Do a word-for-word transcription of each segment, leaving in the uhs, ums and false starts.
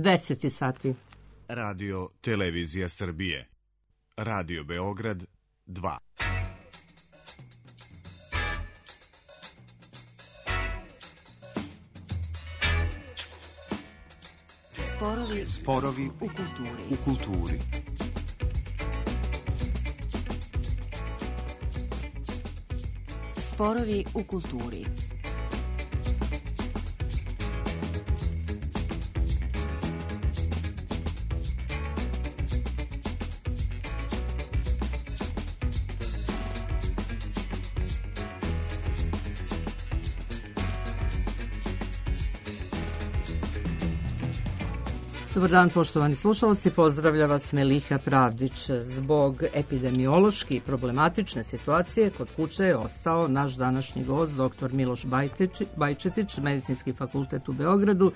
deset sati. Radio Televizija Srbije. Radio Beograd dva. Sporovi, Sporovi u kulturi. U kulturi. Sporovi u kulturi. Dobar dan, poštovani slušalci, pozdravlja vas Meliha Pravdić. Zbog epidemiološki i problematične situacije kod kuće je ostao naš današnji gost, doktor Miloš Bajčetić, Medicinski fakultet u Beogradu.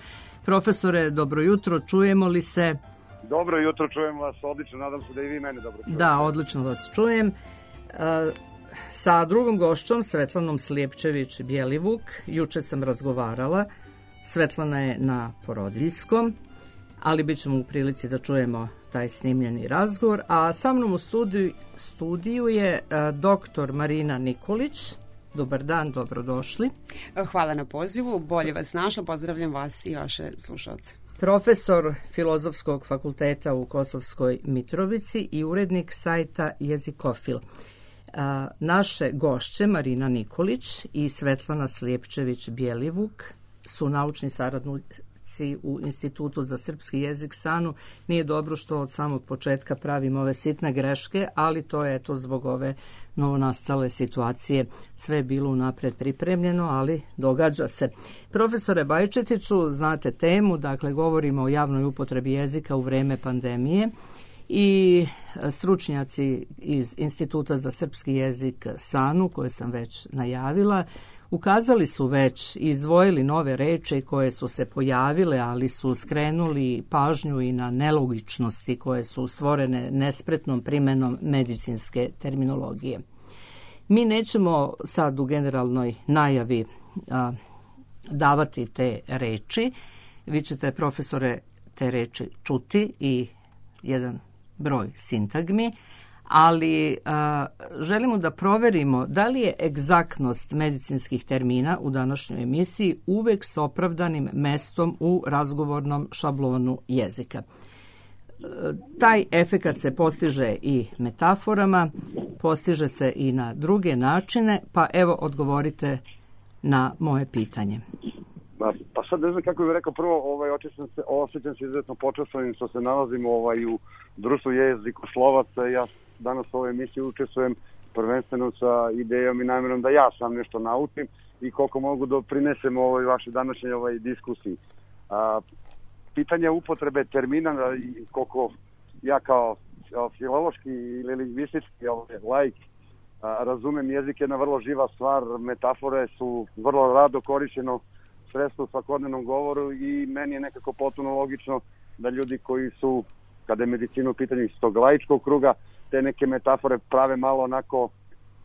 Profesore, dobro jutro, čujemo li se? Dobro jutro, čujem vas, odlično, nadam se da i vi mene dobro čujete. Da, odlično vas čujem. Sa drugom gošćom, Svetlanom Slijepčević-Bjelivuk, juče sam razgovarala. Svetlana je na porodiljskom, ali bit ćemo u prilici da čujemo taj snimljeni razgovor. A sa mnom u studiju, studiju je doktor Marina Nikolić. Dobar dan, dobrodošli. Hvala na pozivu, bolje vas našla, pozdravljam vas i vaše slušalce. Profesor Filozofskog fakulteta u Kosovskoj Mitrovici i urednik sajta Jezikofil. Naše gošće Marina Nikolić i Svetlana Slijepčević-Bjelivuk su naučni saradnici u Institutu za srpski jezik SANU. Nije dobro što od samog početka pravimo ove sitne greške, ali to je to zbog ove novonastale situacije. Sve je bilo unapred pripremljeno, ali događa se. Profesore Bajčetiću, znate temu, dakle govorimo o javnoj upotrebi jezika u vreme pandemije i stručnjaci iz Instituta za srpski jezik SANU, koje sam već najavila, ukazali su već i izdvojili nove reči koje su se pojavile, ali su skrenuli pažnju i na nelogičnosti koje su stvorene nespretnom primenom medicinske terminologije. Mi nećemo sad u generalnoj najavi a, davati te reči. Vi ćete, profesore, te reči čuti i jedan broj sintagmi, ali a, želimo da proverimo da li je egzaktnost medicinskih termina u današnjoj emisiji uvek s opravdanim mestom u razgovornom šablonu jezika. E, taj efekat se postiže i metaforama, postiže se i na druge načine, pa evo odgovorite na moje pitanje. Pa, pa sad ne znam kako bih rekao, prvo ovaj, osjećam se, osjećam se izuzetno počastvenim što se nalazimo ovaj, u društvu jezikoslovaca. Ja danas u ovoj emisiji učestvujem prvenstveno sa idejom i namjerom da ja sam nešto naučim i koliko mogu doprinesem ovoj vašoj današnjoj ovaj diskusiji. A, pitanje upotrebe termina, koliko ja kao filološki ili lingvistički ovaj, laik a, razumem, jezik je jedna vrlo živa stvar, metafore su vrlo rado korišćeno sredstvo u svakodnevnom govoru i meni je nekako potpuno logično da ljudi koji su, kada je medicina u pitanju iz tog laičkog kruga, te neke metafore prave malo onako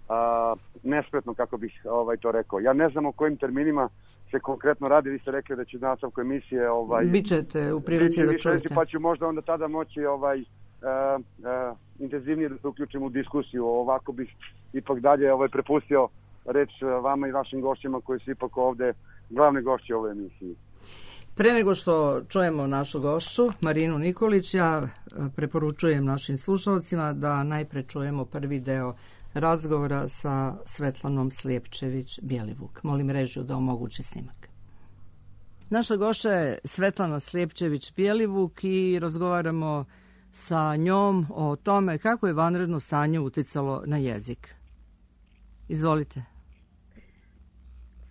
a, nespretno, kako bih ovaj, to rekao. Ja ne znam o kojim terminima se konkretno radi, vi ste rekli da će nastavku emisije ovaj, bićete u prilici da čujete. Pa ću možda onda tada moći ovaj, a, a, intenzivnije da se uključim u diskusiju. Ovako bih ipak dalje ovaj, prepustio reč vama i vašim gošćima koji su ipak ovde glavni gošći ove emisiji. Pre nego što čujemo našu gošću, Marinu Nikolić, ja preporučujem našim slušalcima da najpre čujemo prvi deo razgovora sa Svetlanom Slijepčević-Bjelivuk. Molim režiju da omogući snimak. Naša gošća je Svetlana Slijepčević-Bjelivuk i razgovaramo sa njom o tome kako je vanredno stanje uticalo na jezik. Izvolite.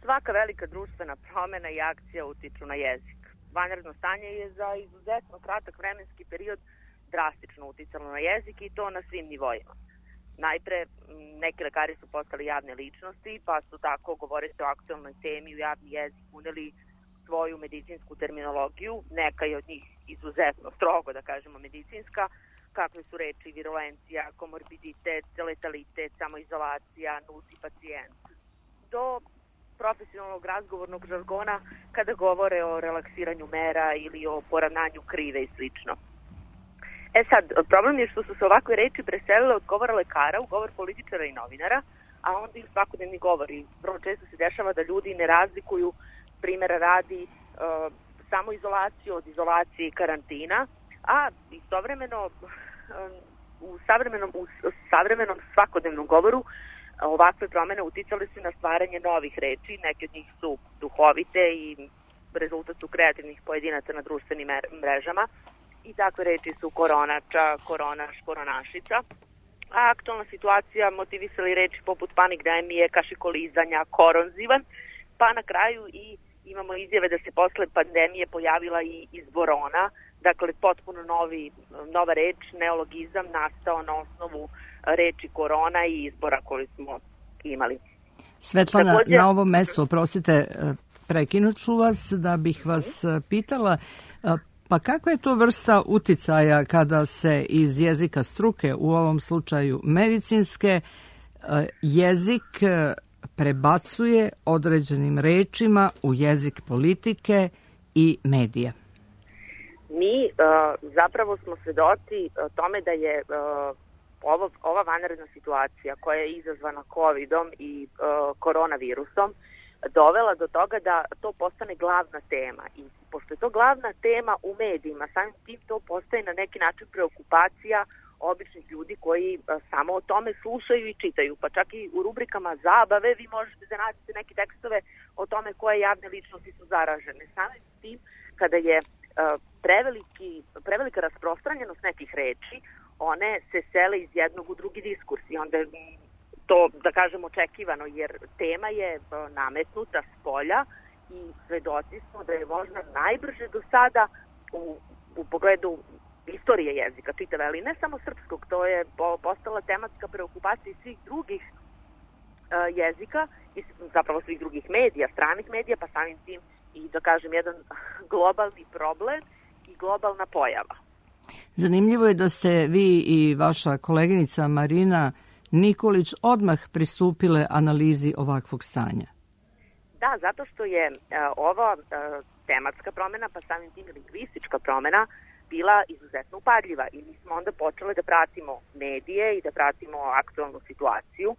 Svaka velika društvena promjena i akcija utiču na jezik. Vanredno stanje je za izuzetno kratak vremenski period drastično uticalo na jezik i to na svim nivoima. Najpre, neki lekari su postali javne ličnosti, pa su tako, govoreći o aktualnoj temi, u javni jezik uneli svoju medicinsku terminologiju. Neka je od njih izuzetno strogo, da kažemo, medicinska, kakve su reči virulencija, komorbiditet, letalitet, samoizolacija, nulti pacijent. Do profesionalnog razgovornog žargona kada govore o relaksiranju mera ili o poravnanju krive i slično. E sad, problem je što su se ovakve reči preselile od govora lekara u govor političara i novinara, a onda i u svakodnevni govor. I vrlo često se dešava da ljudi ne razlikuju, primjera radi, e, samoizolaciju od izolacije i karantina, a istovremeno u savremenom, u savremenom svakodnevnom govoru ovakve promene uticale su na stvaranje novih reči, neke od njih su duhovite i rezultat su kreativnih pojedinaca na društvenim mrežama i takve reči su koronača, koronaš, koronašica. A aktualna situacija motivisali reči poput panikdemije, kašikolizanja, koronzivan, pa na kraju i imamo izjave da se posle pandemije pojavila i izborona, dakle potpuno novi, nova reč, neologizam nastao na osnovu reči korona i izbora koji smo imali. Svetlana, također, na ovom mestu, oprostite, prekinut ću vas da bih vas pitala, pa kakva je to vrsta uticaja kada se iz jezika struke, u ovom slučaju medicinske, jezik prebacuje određenim rečima u jezik politike i medija? Mi uh, zapravo smo svedoci tome da je uh, ovo, ova vanredna situacija koja je izazvana kovidom i uh, koronavirusom dovela do toga da to postane glavna tema. I pošto je to glavna tema u medijima, samim tim to postaje na neki način preokupacija običnih ljudi koji uh, samo o tome slušaju i čitaju. Pa čak i u rubrikama zabave vi možete da nađete neke tekstove o tome koje javne ličnosti su zaražene. Samim tim kada je uh, preveliki, prevelika rasprostranjenost nekih reči, one se sele iz jednog u drugi diskurs i onda je to, da kažem, očekivano, jer tema je nametnuta s polja i svedoci smo da je možda najbrže do sada u, u pogledu istorije jezika čitave, ali ne samo srpskog, to je postala tematska preokupacija svih drugih uh, jezika i zapravo svih drugih medija, stranih medija, pa samim tim i, da kažem, jedan globalni problem i globalna pojava. Zanimljivo je da ste vi i vaša koleginica Marina Nikolić odmah pristupile analizi ovakvog stanja. Da, zato što je uh, ova uh, tematska promjena, pa samim tim lingvistička promjena, bila izuzetno upadljiva i mi smo onda počeli da pratimo medije i da pratimo aktualnu situaciju, uh,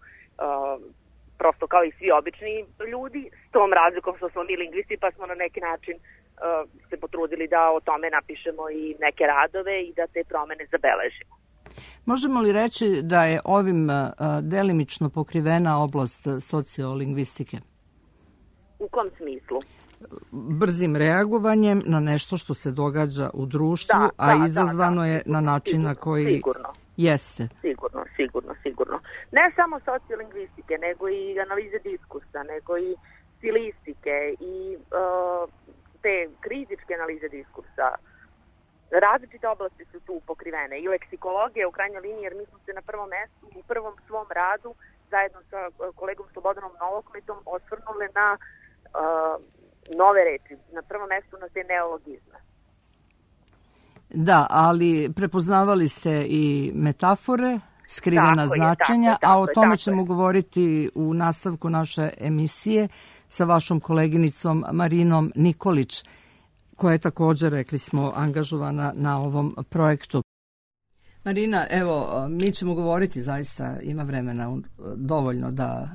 prosto kao i svi obični ljudi, s tom razlikom što smo mi lingvisti, pa smo na neki način uh, se potrudili da o tome napišemo i neke radove i da te promene zabeležimo. Možemo li reći da je ovim uh, delimično pokrivena oblast sociolingvistike? U kom smislu? Brzim reagovanjem na nešto što se događa u društvu, da, a da, izazvano da, da, je na način sigurno, na koji sigurno. Jeste. Sigurno, sigurno, sigurno. Ne samo sociolingvistike, nego i analize diskursa, nego i stilistike i uh, te kritičke analize diskursa. Različite oblasti su tu pokrivene i leksikologija u krajnjoj liniji, jer mi smo se na prvom mestu, u prvom svom radu, zajedno sa kolegom Slobodanom Novokmetom, osvrnuli na uh, nove reči, na prvom mestu na te neologizme. Da, ali prepoznavali ste i metafore, skrivena tako značenja, je, tako, a o tome tako ćemo je. govoriti u nastavku naše emisije sa vašom koleginicom Marinom Nikolić, koja je također, rekli smo, angažovana na ovom projektu. Marina, evo, mi ćemo govoriti, zaista ima vremena dovoljno da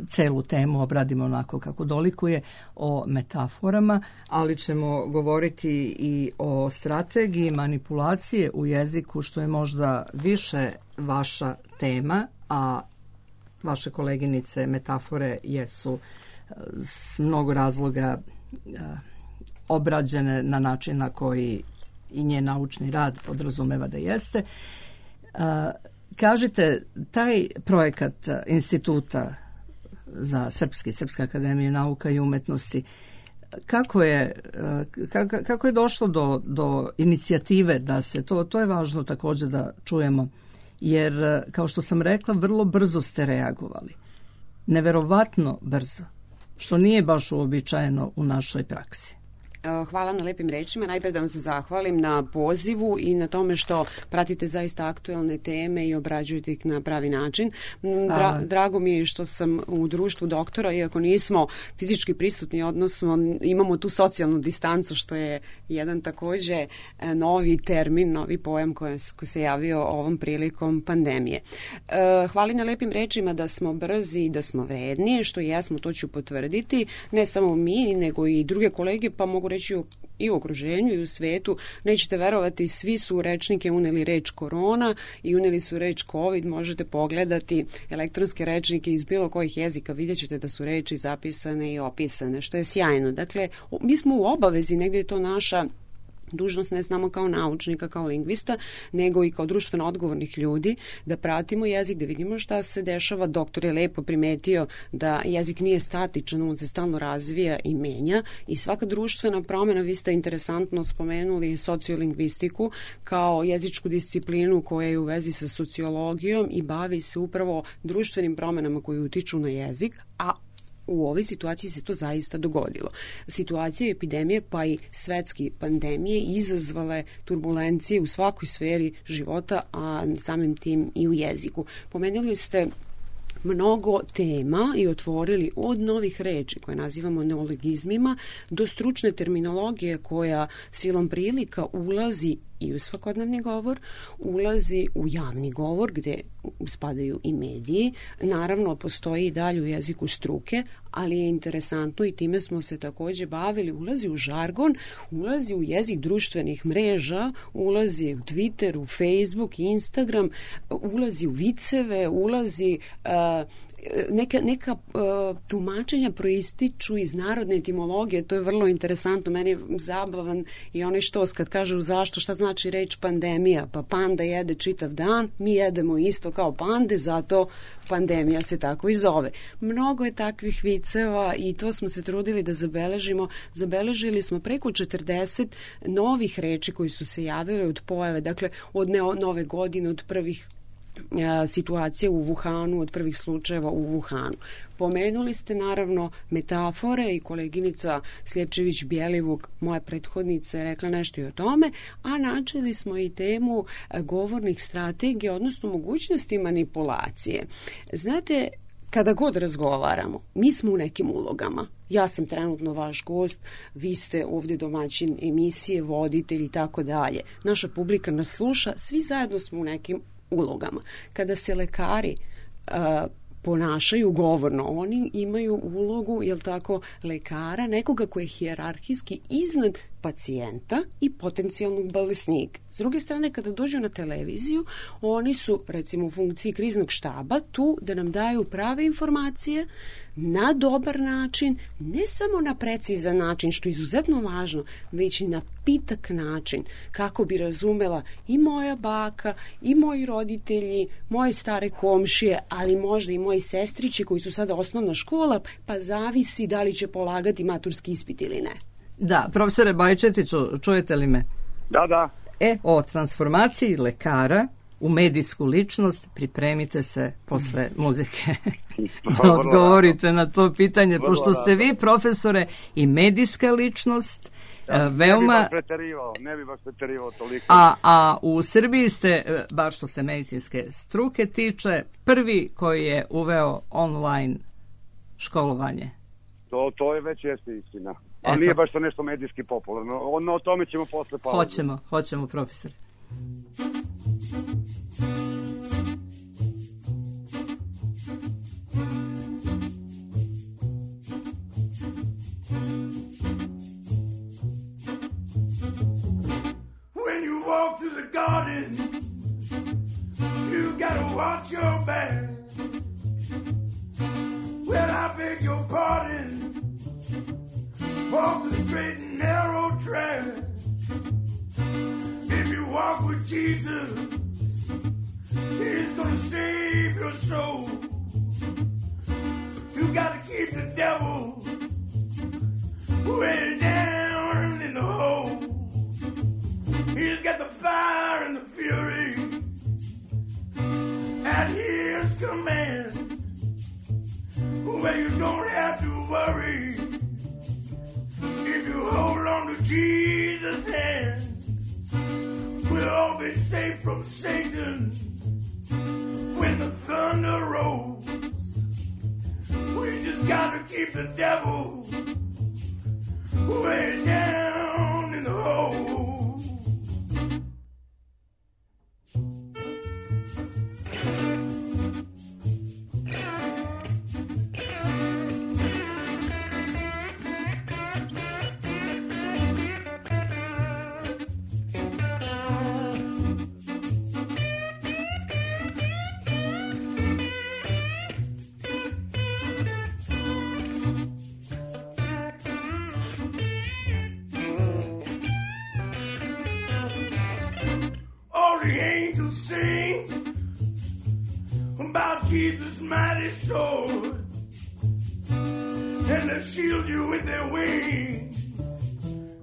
celu temu obradimo onako kako dolikuje, o metaforama, ali ćemo govoriti i o strategiji manipulacije u jeziku, što je možda više vaša tema, a vaše koleginice metafore jesu s mnogo razloga obrađene na način na koji i njen naučni rad podrazumeva da jeste. Kažite, taj projekat Instituta za srpski, Srpska akademija nauka i umetnosti, kako je, kako, kako je došlo do, do inicijative da se, to, to je važno također da čujemo, jer, kao što sam rekla, vrlo brzo ste reagovali. Neverovatno brzo, što nije baš uobičajeno u našoj praksi. Hvala na lepim rečima. Najprej da vam se zahvalim na pozivu i na tome što pratite zaista aktuelne teme i obrađujete ih na pravi način. Dra, drago mi je što sam u društvu doktora, iako nismo fizički prisutni, odnosno imamo tu socijalnu distancu, što je jedan takođe novi termin, novi pojam koji, koji se javio ovom prilikom pandemije. Hvala na lepim rečima da smo brzi i da smo vredni, što jesmo, to ću potvrditi. Ne samo mi, nego i druge kolege, pa mogu reći i u okruženju i u svetu. Nećete verovati, svi su u rečnike uneli reč korona i uneli su reč covid. Možete pogledati elektronske rečnike iz bilo kojih jezika, vidjet ćete da su reči zapisane i opisane, što je sjajno. Dakle, mi smo u obavezi, negdje je to naša dužnost ne samo kao naučnika, kao lingvista, nego i kao društveno odgovornih ljudi, da pratimo jezik, da vidimo šta se dešava. Doktor je lepo primetio da jezik nije statičan, on se stalno razvija i menja i svaka društvena promjena, vi ste interesantno spomenuli sociolingvistiku kao jezičku disciplinu koja je u vezi sa sociologijom i bavi se upravo društvenim promjenama koji utiču na jezik, a u ovoj situaciji se to zaista dogodilo. Situacija epidemije pa i svetske pandemije izazvale turbulencije u svakoj sferi života, a samim tim i u jeziku. Pomenuli ste mnogo tema i otvorili od novih reči koje nazivamo neologizmima do stručne terminologije koja silom prilika ulazi i u svakodnevni govor, ulazi u javni govor gdje spadaju i mediji. Naravno, postoji i dalje u jeziku struke, ali je interesantno i time smo se također bavili. Ulazi u žargon, ulazi u jezik društvenih mreža, ulazi u Twitter, u Facebook, Instagram, ulazi u viceve, ulazi uh, neka, neka uh, tumačenja proističu iz narodne etimologije. To je vrlo interesantno. Meni je zabavan i onaj štos kad kažu zašto, šta znači reč pandemija. Pa panda jede čitav dan, mi jedemo isto kao pande, zato pandemija se tako i zove. Mnogo je takvih viceva i to smo se trudili da zabeležimo. Zabeležili smo preko četrdeset novih reči koji su se javile od pojave, dakle od nove godine, od prvih situacije u Wuhanu, od prvih slučajeva u Wuhanu. Pomenuli ste naravno metafore i koleginica Sljepčević-Bjelivuk, moja prethodnica, je rekla nešto i o tome, a načeli smo i temu govornih strategija, odnosno mogućnosti manipulacije. Znate, kada god razgovaramo, mi smo u nekim ulogama. Ja sam trenutno vaš gost, vi ste ovdje domaćin emisije, voditelj i tako dalje. Naša publika nas sluša, svi zajedno smo u nekim ulogama. Kada se lekari uh, ponašaju govorno, oni imaju ulogu, jel tako, lekara, nekoga koji je hijerarhijski iznad pacijenta i potencijalnog bolesnika. S druge strane, kada dođu na televiziju, oni su, recimo, u funkciji kriznog štaba tu da nam daju prave informacije na dobar način, ne samo na precizan način, što je izuzetno važno, već i na pitak način, kako bi razumela i moja baka, i moji roditelji, moje stare komšije, ali možda i moji sestrići koji su sada osnovna škola, pa zavisi da li će polagati maturski ispit ili ne. Da, profesore Bajčetiću, čujete li me? Da, da. E, o transformaciji lekara u medijsku ličnost pripremite se posle muzike da odgovorite na to pitanje, pošto ste vi, profesore, i medijska ličnost, da, veoma... Ne bi vas preterivao, ne bi vas preterivao toliko. A, a u Srbiji ste, bar što se medicinske struke tiče, prvi koji je uveo online školovanje. To, to je već jeste istina. Ali nije baš to nešto medijski popularno. Ono, o tome ćemo posle pauze. Hoćemo, hoćemo, profesor. When you walk through the garden, you gotta watch your back. Well, I beg your pardon. Walk the straight and narrow track. If you walk with Jesus, He's gonna save your soul. You gotta keep the devil way down in the hole. He's got the fire and the fury at His command, where you don't have to worry. If you hold on to be safe from Satan when the thunder rolls. We just gotta keep the devil way down in the hole. Jesus' mighty sword, and they shield you with their wings,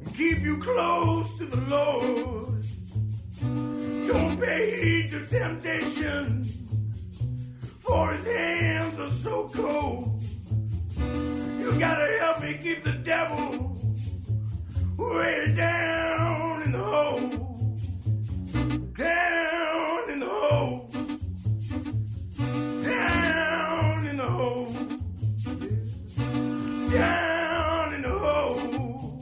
and keep you close to the Lord. Don't pay heed to temptation, for his hands are so cold. You gotta help me keep the devil way down in the hole, down in the hole. Down in the hole, down in the hole,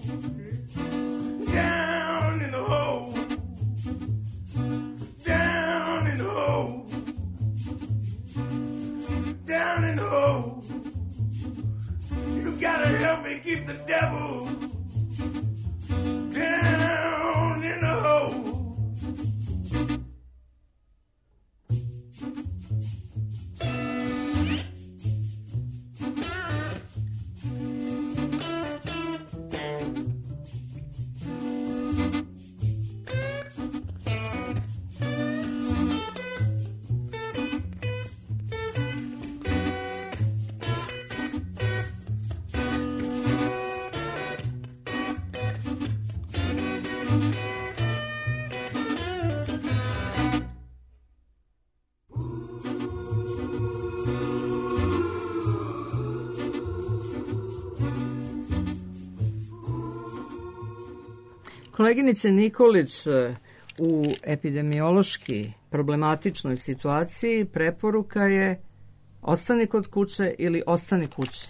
down in the hole, down in the hole, down in the hole. You gotta help me keep the devil down in the hole. Koleginice Nikolić, u epidemiološki problematičnoj situaciji preporuka je ostani kod kuće ili ostani kući.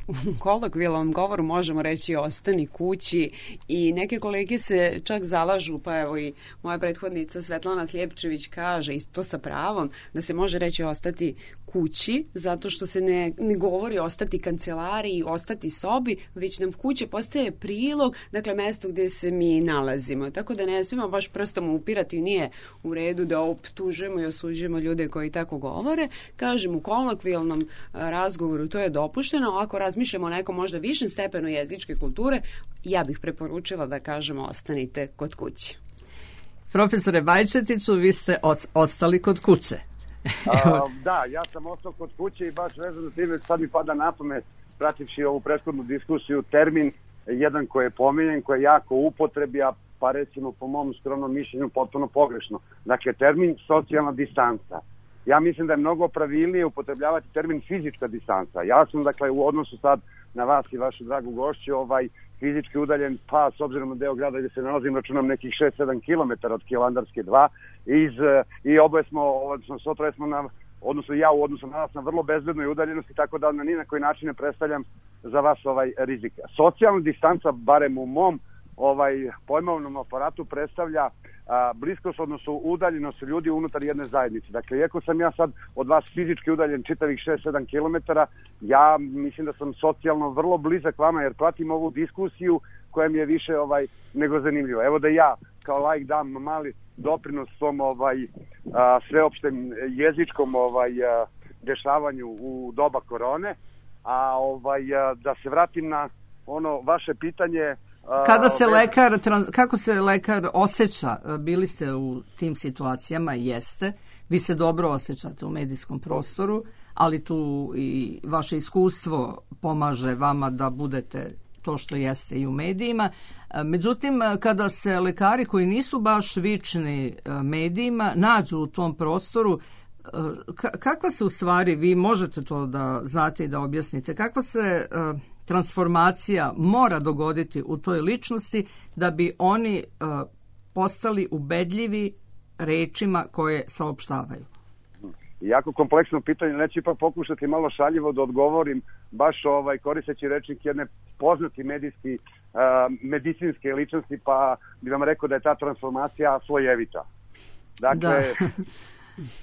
U kolokvijalnom govoru možemo reći ostani kući i neke kolege se čak zalažu, pa evo i moja prethodnica Svetlana Sljepčević kaže isto sa pravom da se može reći ostati kući, zato što se ne, ne govori ostati kancelariji, ostati sobi, već nam kuće postaje prilog, dakle mesto gdje se mi nalazimo. Tako da ne smijemo baš prstom upirati, nije u redu da optužujemo i osuđujemo ljude koji tako govore. Kažem, u kolokvijalnom razgovoru to je dopušteno, ako razmišljamo o nekom možda višem stepenu jezičke kulture, ja bih preporučila da kažemo ostanite kod kuće. Profesore Bajčetiću, vi ste ostali kod kuće. A, da, ja sam ostao kod kuće i baš vezano s time sad mi pada na pamet, prativši ovu prethodnu diskusiju, termin jedan koji je pominjen, koji je jako upotrebi, a pa recimo po mom skromnom mišljenju potpuno pogrešno. Dakle, termin socijalna distanca. Ja mislim da je mnogo pravilnije upotrebljavati termin fizička distanca. Ja sam, dakle, u odnosu sad na vas i vašu dragu gošću, ovaj, fizički udaljen, pa s obzirom na deo grada gdje se nalazim, računam nekih šest sedam kilometara od Kilandarske dva, iz, i oboje smo, odnosno sotroje smo na, odnosno ja u odnosu na vas na vrlo bezbednoj udaljenosti, tako da na ni na koji način ne predstavljam za vas ovaj rizik. Socijalna distanca, barem u mom ovaj pojmovnom aparatu, predstavlja a, bliskost, odnosno udaljenost ljudi unutar jedne zajednice. Dakle, iako sam ja sad od vas fizički udaljen čitavih šest sedam kilometara, ja mislim da sam socijalno vrlo blizak vama, jer pratim ovu diskusiju koja mi je više ovaj nego zanimljiva. Evo da ja kao laik dam mali doprinos svom ovaj a, sveopštem jezičkom ovaj a, dešavanju u doba korone, a ovaj a, da se vratim na ono vaše pitanje. Kada se lekar, kako se lekar osjeća? Bili ste u tim situacijama, jeste. Vi se dobro osjećate u medijskom prostoru, ali tu i vaše iskustvo pomaže vama da budete to što jeste i u medijima. Međutim, kada se lekari koji nisu baš vični medijima nađu u tom prostoru, kakva se u stvari, vi možete to da znate i da objasnite, kakva se transformacija mora dogoditi u toj ličnosti da bi oni postali ubedljivi rečima koje saopštavaju? Jako kompleksno pitanje, neću ipak pokušati malo šaljivo da odgovorim, baš ovaj, koristeći rečnik jedne poznati medijski, uh, medicinske ličnosti, pa bih vam rekao da je ta transformacija slojevita. Dakle,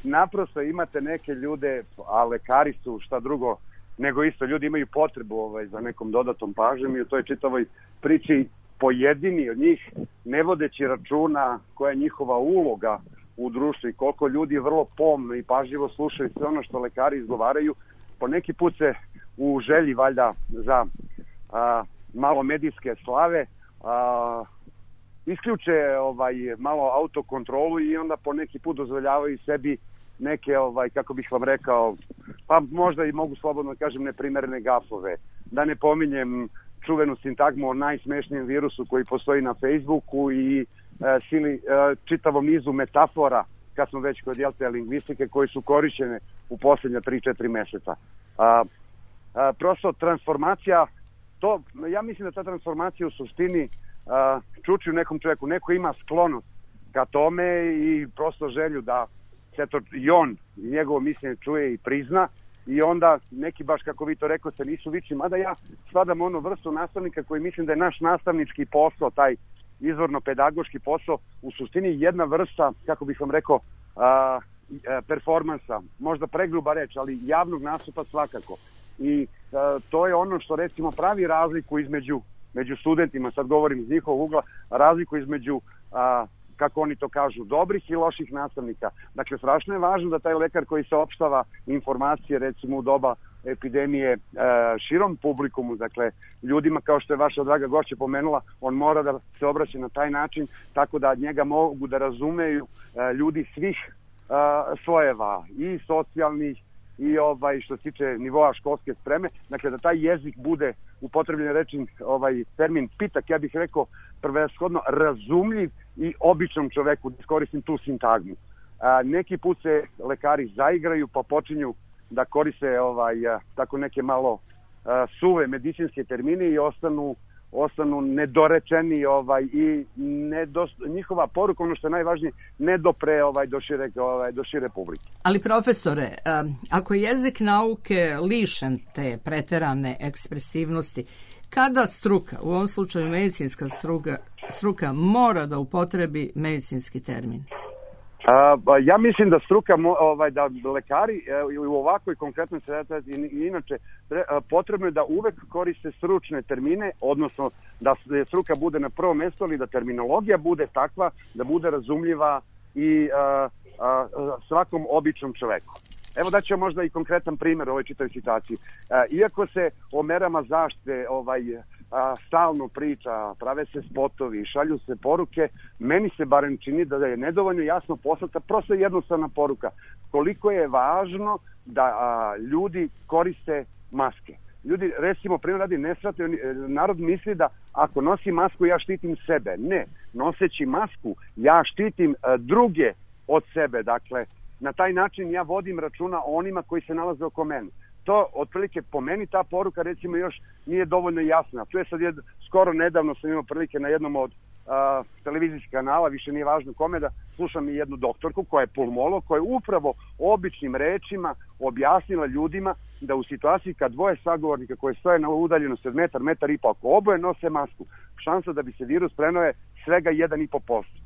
naprosto imate neke ljude, a lekari su šta drugo, nego isto ljudi imaju potrebu ovaj, za nekom dodatom pažnjom i u toj čitavoj priči pojedini od njih, ne vodeći računa koja je njihova uloga u društvu i koliko ljudi vrlo pomno i pažljivo slušaju sve ono što lekari izgovaraju, po neki put se u želji valjda za a, malo medijske slave a, isključe ovaj, malo autokontrolu i onda po neki put dozvoljavaju sebi neke, ovaj, kako bih vam rekao, pa možda i mogu slobodno kažem neprimerene gafove. Da ne pominjem čuvenu sintagmu o najsmešnijem virusu koji postoji na Facebooku i e, sili, e, čitavom nizu metafora, kad smo već kod jelte lingvistike, koje su korišćene u posljednja tri četiri meseca. A, a, prosto transformacija, to, ja mislim da ta transformacija u suštini a, čuči u nekom čovjeku. Neko ima sklonost ka tome i prosto želju da se to i on i njegovo mišljenje čuje i prizna. I onda neki, baš kako vi to rekao, se nisu viči, mada ja spadam onu vrstu nastavnika koji mislim da je naš nastavnički posao, taj izvorno-pedagoški posao, u suštini jedna vrsta, kako bih vam rekao, a, a, performansa, možda pregruba reč, ali javnog nastupa svakako. I a, to je ono što recimo pravi razliku između među studentima, sad govorim iz njihovog ugla, razliku između a, kako oni to kažu, dobrih i loših nastavnika. Dakle, strašno je važno da taj lekar koji saopštava informacije, recimo u doba epidemije e, širom publikumu, dakle, ljudima kao što je vaša draga gošća pomenula, on mora da se obraća na taj način, tako da njega mogu da razumeju e, ljudi svih e, slojeva, i socijalnih, i ovaj, što se tiče nivoa školske spreme, dakle da taj jezik bude upotrebljen rečin, ovaj termin pitak, ja bih rekao prvenshodno razumljiv i običnom čoveku, da iskoristim tu sintagmu. A, neki put se lekari zaigraju pa počinju da koriste ovaj, a, tako neke malo a, suve medicinske termine i ostanu ostanu nedorečeni ovaj i nedost, njihova poruka, ono što je najvažnije, ne dopre ovaj do šire ovaj do šire publike. Ali profesore, ako je jezik nauke lišen te preterane ekspresivnosti, kada struka, u ovom slučaju medicinska struka, struka mora da upotrebi medicinski termin? Uh, ja mislim da struka, ovaj, da lekari uh, u ovakvoj konkretnoj situaciji i inače tre, uh, potrebno je da uvek koriste stručne termine, odnosno da struka bude na prvom mjestu, ali da terminologija bude takva da bude razumljiva i uh, uh, svakom običnom čoveku. Evo da ću možda i konkretan primjer u ovoj čitavoj situaciji. Uh, iako se o merama zaštite ovaj, a, stalno priča, prave se spotovi, šalju se poruke, meni se barem čini da je nedovoljno jasno poslata prosto jednostavna poruka. Koliko je važno da a, ljudi koriste maske. Ljudi, recimo, primjer radi, ne shvataju, narod misli da ako nosi masku ja štitim sebe. Ne, noseći masku ja štitim a, druge od sebe. Dakle, na taj način ja vodim računa o onima koji se nalaze oko mene. To, otprilike, po meni ta poruka, recimo, još nije dovoljno jasna. Tu je sad jed, skoro nedavno sam imao prilike na jednom od a, televizijskih kanala, više nije važno kome, da slušam i jednu doktorku koja je pulmolog, koja je upravo običnim rečima objasnila ljudima da u situaciji kad dvoje sagovornika koje stoje na udaljenosti od metar, metar i po, ako oboje nose masku, šansa da bi se virus preneo je svega jedan i po posto.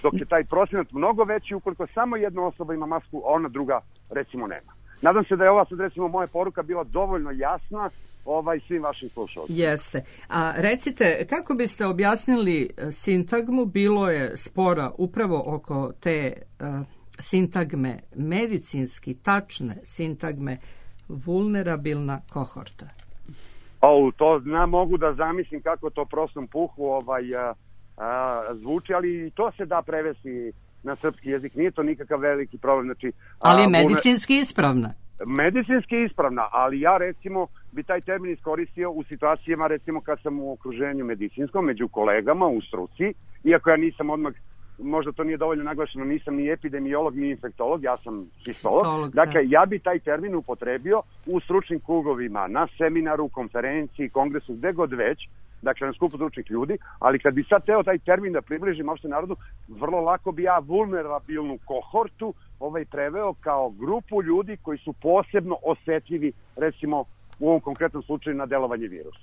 Dok je taj procenat mnogo veći ukoliko samo jedna osoba ima masku, a ona druga, recimo, nema. Nadam se da je ova sad, recimo, moja poruka bila dovoljno jasna ovaj, svim vašim slušalcima. Jeste. A recite, kako biste objasnili sintagmu? Bilo je spora upravo oko te uh, sintagme, medicinski tačne sintagme, vulnerabilna kohorta. O, to zna, mogu da zamislim kako to prostom puhu ovaj, a, a, zvuči, ali i to se da prevesti na srpski jezik, nije to nikakav veliki problem. Znači, ali je medicinski ispravna. Medicinski ispravna, ali ja recimo bi taj termin iskoristio u situacijama recimo kad sam u okruženju medicinskom, među kolegama u struci, iako ja nisam odmah, možda to nije dovoljno naglašeno, nisam ni epidemiolog ni infektolog, ja sam histolog. Dakle, ja bi taj termin upotrebio u stručnim krugovima, na seminaru, konferenciji, kongresu, gde god već, dakle na skupu stručnih ljudi, ali kad bi sad teo taj termin da približim opšte narodu, vrlo lako bi ja vulnerabilnu kohortu ovaj preveo kao grupu ljudi koji su posebno osetljivi, recimo u ovom konkretnom slučaju, na delovanje virusa.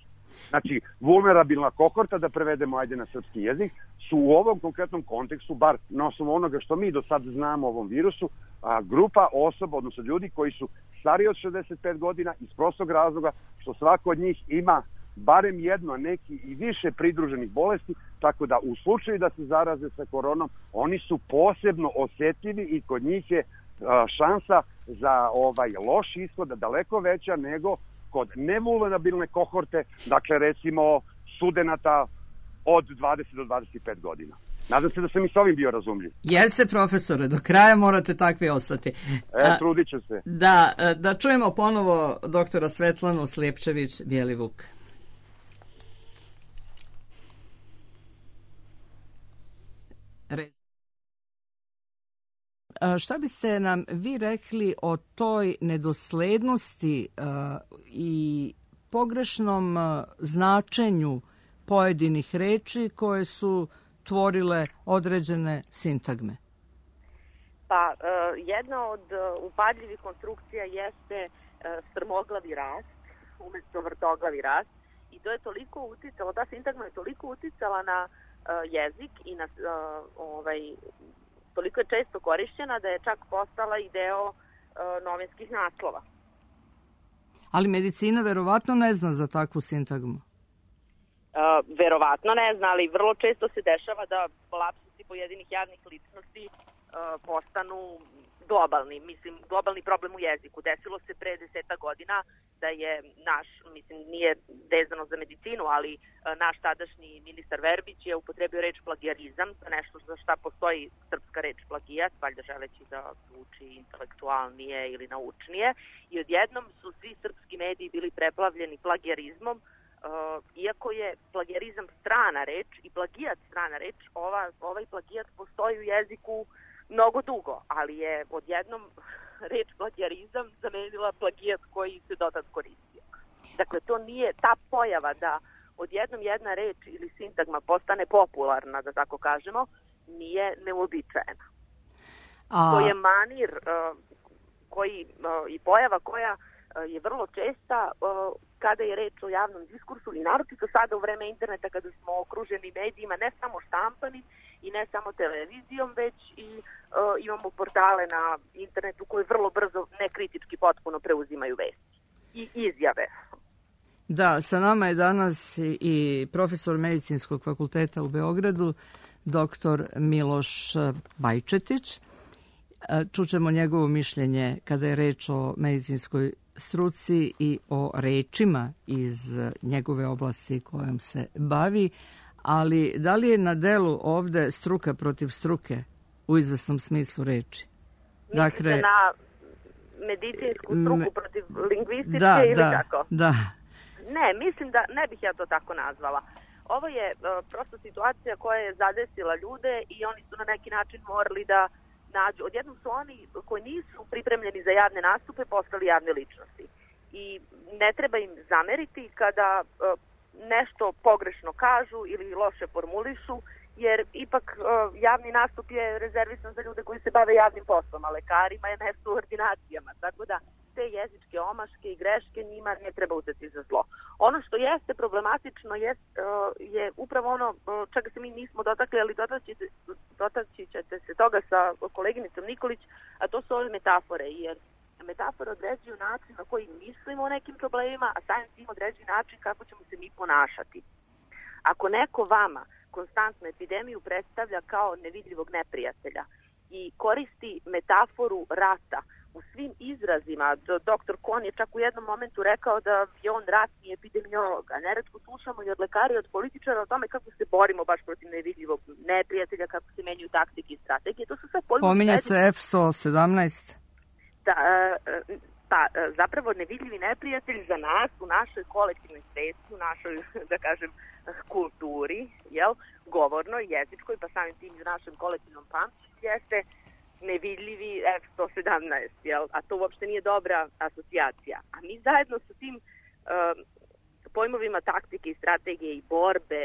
Znači, vulnerabilna kohorta, da prevedemo ajde na srpski jezik, su u ovom konkretnom kontekstu, bar na osnovu onoga što mi do sad znamo o ovom virusu, a, grupa osoba, odnosno ljudi koji su stariji od šezdeset pet godina iz prostog razloga što svako od njih ima barem jedno, neki i više pridruženih bolesti, tako da u slučaju da se zaraze sa koronom, oni su posebno osetljivi i kod njih je a, šansa za ovaj loš ishod daleko veća nego kod nevulnerabilne kohorte, dakle recimo studenata od dvadeset do dvadeset pet godina. Nadam se da sam i s ovim bio razumljiv. Jeste, profesore, do kraja morate takvi ostati. E, trudit ću se. Da, da čujemo ponovo doktora Svetlanu Slijepčević-Bjelivuk. Re... Šta biste nam vi rekli o toj nedoslednosti uh, i pogrešnom uh, značenju pojedinih reči koje su tvorile određene sintagme? Pa, uh, jedna od uh, upadljivih konstrukcija jeste uh, strmoglavi rast, umjesto vrtoglavi rast, i to je toliko uticalo, ta sintagma je toliko uticala na uh, jezik i na uh, ovaj, toliko je često korišćena da je čak postala i deo uh, novinskih naslova. Ali medicina verovatno ne zna za takvu sintagmu. Uh, verovatno ne zna, ali vrlo često se dešava da lapsusi pojedinih javnih ličnosti uh, postanu globalni, mislim, globalni problem u jeziku. Desilo se pre deseta godina da je naš, mislim, nije vezano za medicinu, ali uh, naš tadašnji ministar Verbić je upotrebio reč plagijarizam, nešto za šta postoji srpska reč plagijat, valjda želeći da zvuči intelektualnije ili naučnije, i odjednom su svi srpski mediji bili preplavljeni plagijarizmom. Uh, iako je plagijarizam strana reč i plagijat strana reč, ova, ovaj plagijat postoji u jeziku mnogo dugo, ali je odjednom reč plagijarizam zamenila plagijat koji se dotad koristio. Dakle, to nije ta pojava da odjednom jedna reč ili sintagma postane popularna, da tako kažemo, nije neuobičajena. A... To je manir uh, koji, uh, i pojava koja uh, je vrlo česta uh, kada je reč o javnom diskursu i naročito sada u vreme interneta kada smo okruženi medijima, ne samo štampanim i ne samo televizijom, već i uh, imamo portale na internetu koji vrlo brzo nekritički potpuno preuzimaju vesti i izjave. Da, sa nama je danas i profesor Medicinskog fakulteta u Beogradu, doktor Miloš Bajčetić. Čućemo njegovo mišljenje kada je reč o medicinskoj struci i o rečima iz njegove oblasti kojom se bavi, ali da li je na delu ovde struka protiv struke u izvesnom smislu reči? Mislite dakle, na medicinsku struku me, protiv lingvističke da, ili da, kako? Da, Ne, mislim da ne bih ja to tako nazvala. Ovo je uh, prosto situacija koja je zadesila ljude i oni su na neki način morali da nađu. Odjednom su oni koji nisu pripremljeni za javne nastupe postali javne ličnosti. I ne treba im zameriti kada uh, nešto pogrešno kažu ili loše formulišu, jer ipak uh, javni nastup je rezervisan za ljude koji se bave javnim poslom, a lekarima je mesto u ordinacijama, tako da te jezičke omaške i greške njima ne treba uzeti za zlo. Ono što jeste problematično jest, uh, je upravo ono uh, čega se mi nismo dotakli, ali dotaći ćete se toga sa koleginicom Nikolić, a to su ove metafore, jer metafore određuju način na koji mislimo o nekim problemima, a samim tim određuju način kako ćemo se mi ponašati. Ako neko vama konstantnu epidemiju predstavlja kao nevidljivog neprijatelja i koristi metaforu rata u svim izrazima, doktor Kon je čak u jednom momentu rekao da je on ratni epidemiolog, a neretko slušamo i od lekara i od političara o tome kako se borimo baš protiv nevidljivog neprijatelja, kako se menjuju taktike i strategije. To su sve pojmovi. Pominje se F sto sedamnaest. Da, pa zapravo nevidljivi neprijatelj za nas u našoj kolektivnoj svesti, u našoj, da kažem, kulturi, jel, govornoj, jezičkoj, pa samim tim i u našem kolektivnom pamćenju jeste nevidljivi F sto sedamnaest, jel, a to uopšte nije dobra asocijacija. A mi zajedno sa tim uh, sa pojmovima taktike i strategije i borbe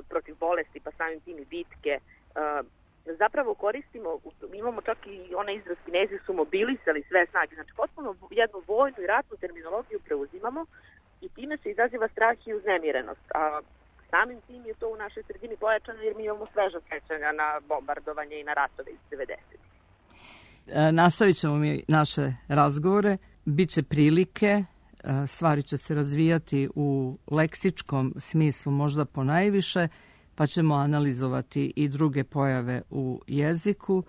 protiv bolesti, pa samim tim i bitke, zapravo koristimo, imamo čak i onaj izraz Kinezi su mobilisali sve snage, znači potpuno jednu vojnu i ratnu terminologiju preuzimamo i time se izaziva strah i uznemirenost. A samim tim je to u našoj sredini pojačano jer mi imamo sveža sećanja na bombardovanje i na ratove iz devedesetih. E, nastavit ćemo mi naše razgovore, biće prilike, stvari će se razvijati u leksičkom smislu možda ponajviše, pa ćemo analizovati i druge pojave u jeziku,